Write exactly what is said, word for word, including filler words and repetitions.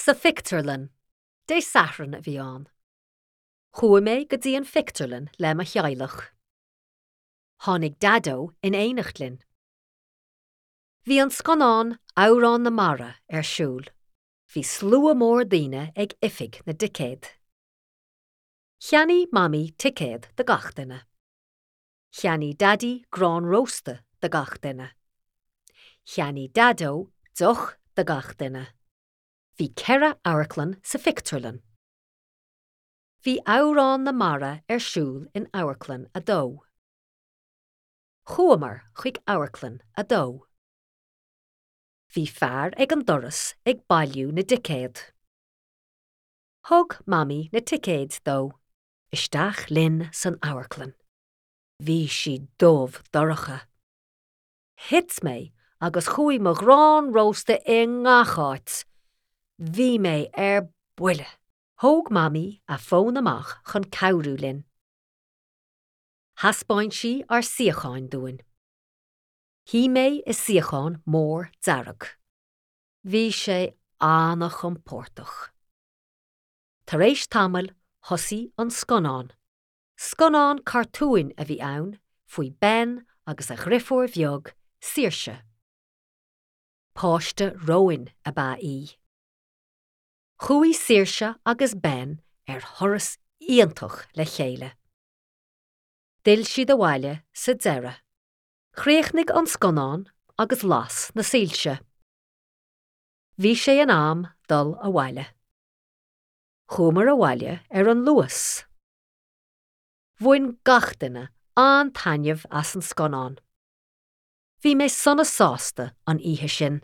Sa phictiúrlann, Dé Sathairn a bhí ann. Chuaigh mé go dtí an phictiúrlann le mo theaghlach. Tháinig Daideo in éineacht linn. Bhí an scannán Amhrán na Mara ar siúl. Bhí slua mór daoine ag oifig na dticéad. Cheannaigh Mamaí ticéad do gach duine. Cheannaigh Daidí grán rósta do gach duine. Cheannaigh Daideo deoch do gach duine. Bhí ceithre amharclann sa phictiúrlann. Bhí Amhrán na Mara ar siúl in amharclann a dó. Chuamar chuig amharclann a dó. Bhí fear ag an doras ag bailiú na dticéad. Thug Mamaí na ticéid dó, isteach linn san amharclann. Bhí sí dubh dorcha. Thit mé agus chuaigh mo ghrán rósta i ngach áit. Bhí mé ar buile. Thóg Mamaí a fón amach chun cabhrú linn. Thaispeáin sí ár suíocháin dúinn. Shuigh mé i suíochán mór dearg. Bhí sé an-chompordach. Tar éis tamaill thosaigh an scannán. Scannán cartúin a bhí ann faoi Ben agus a dheirfiúr bheag Saoirse. Páiste róin ab ea í. Chuaigh Saoirse agus Ben ar thuras iontach le chéile. D'fhill siad abhaile sa deireadh. Chríochnaigh an scannán agus las na soilse. Bhí sé in am dul abhaile. Chuamar abhaile ar an Luas. Bhain gach duine an-taitneamh as an scannán. Bhí mé sona sásta an oíche sin.